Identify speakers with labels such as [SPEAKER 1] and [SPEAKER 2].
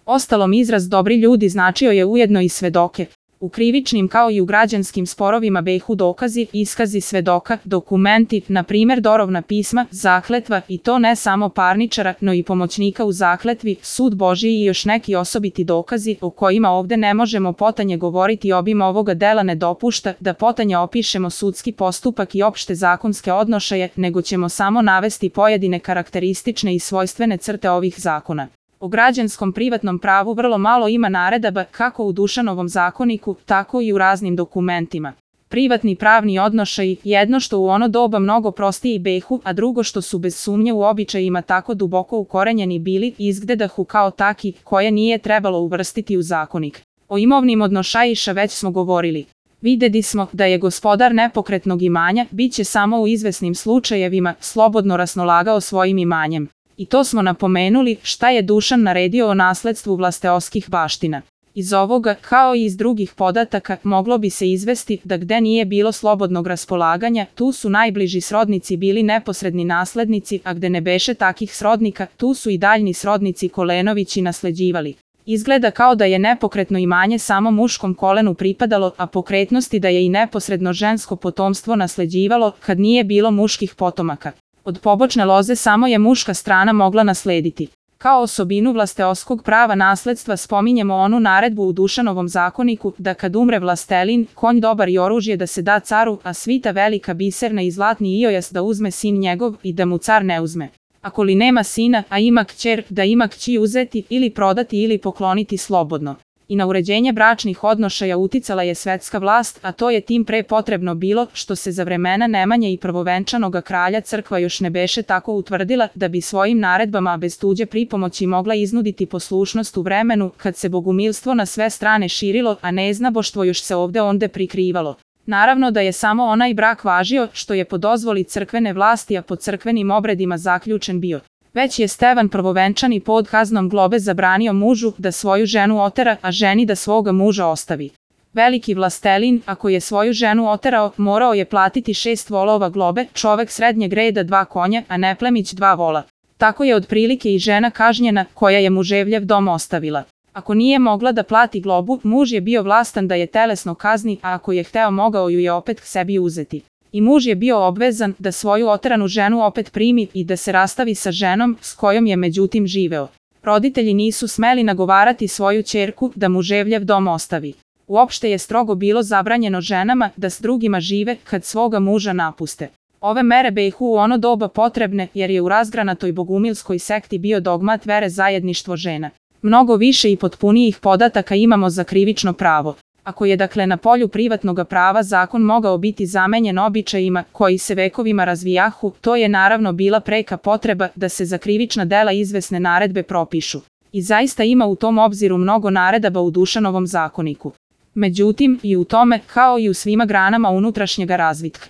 [SPEAKER 1] Ostalom izraz dobri ljudi značio je ujedno i svedoke. U krivičnim kao i u građanskim sporovima behu dokazi, iskazi svedoka, dokumenti, na primjer dorovna pisma, zakletva i to ne samo parničara, no i pomoćnika u zakletvi, sud Božji i još neki osobiti dokazi o kojima ovde ne možemo potanje govoriti. Obim ovoga dela ne dopušta da potanje opišemo sudski postupak i opšte zakonske odnošaje, nego ćemo samo navesti pojedine karakteristične i svojstvene crte ovih zakona. O građanskom privatnom pravu vrlo malo ima naredaba kako u Dušanovom zakoniku, tako i u raznim dokumentima. Privatni pravni odnošaji, jedno što u ono doba mnogo prostiji behu, a drugo što su bez sumnje u običajima tako duboko ukorenjeni bili, izgledahu kao taki, koje nije trebalo uvrstiti u zakonik. O imovnim odnošajiša već smo govorili. Videli smo da je gospodar nepokretnog imanja, bit će samo u izvesnim slučajevima, slobodno raspolagao svojim imanjem. I to smo napomenuli šta je Dušan naredio o nasledstvu vlasteoskih baština. Iz ovoga, kao i iz drugih podataka, moglo bi se izvesti da gde nije bilo slobodnog raspolaganja, tu su najbliži srodnici bili neposredni naslednici, a gde ne beše takih srodnika, tu su i daljni srodnici Kolenovići nasleđivali. Izgleda kao da je nepokretno imanje samo muškom kolenu pripadalo, a pokretnosti da je i neposredno žensko potomstvo nasleđivalo kad nije bilo muških potomaka. Od pobočne loze samo je muška strana mogla naslediti. Kao osobinu vlasteoskog prava nasledstva spominjemo onu naredbu u Dušanovom zakoniku da kad umre vlastelin, konj dobar i oružje da se da caru, a svita velika biserna i zlatni iojas da uzme sin njegov i da mu car ne uzme. Ako li nema sina, a ima kćer, da ima kći uzeti ili prodati ili pokloniti slobodno. I na uređenje bračnih odnošaja uticala je svetska vlast, a to je tim pre potrebno bilo što se za vremena Nemanje i prvovenčanoga kralja crkva još ne beše tako utvrdila da bi svojim naredbama bez tuđe pripomoći mogla iznuditi poslušnost u vremenu kad se bogumilstvo na sve strane širilo, a neznaboštvo još se ovde onde prikrivalo. Naravno da je samo onaj brak važio što je po dozvoli crkvene vlasti, a po crkvenim obredima zaključen bio. Već je Stevan Prvovenčani pod kaznom globe zabranio mužu da svoju ženu otera, a ženi da svoga muža ostavi. Veliki vlastelin, ako je svoju ženu oterao, morao je platiti 6 volova globe, čovek srednjeg reda 2 konja, a neplemić 2 vola. Tako je otprilike i žena kažnjena koja je muževljev dom ostavila. Ako nije mogla da plati globu, muž je bio vlastan da je telesno kazni, a ako je hteo mogao ju je opet k sebi uzeti. I muž je bio obvezan da svoju oteranu ženu opet primi i da se rastavi sa ženom s kojom je međutim živeo. Roditelji nisu smeli nagovarati svoju ćerku da muževljev dom ostavi. Uopšte je strogo bilo zabranjeno ženama da s drugima žive kad svoga muža napuste. Ove mere behu u ono doba potrebne jer je u razgranatoj bogumilskoj sekti bio dogmat vere zajedništvo žena. Mnogo više i potpunijih podataka imamo za krivično pravo. Ako je dakle na polju privatnoga prava zakon mogao biti zamenjen običajima koji se vekovima razvijahu, to je naravno bila preka potreba da se za krivična dela izvesne naredbe propišu. I zaista ima u tom obziru mnogo naredaba u Dušanovom zakoniku. Međutim, i u tome, kao i u svima granama unutrašnjega razvitka,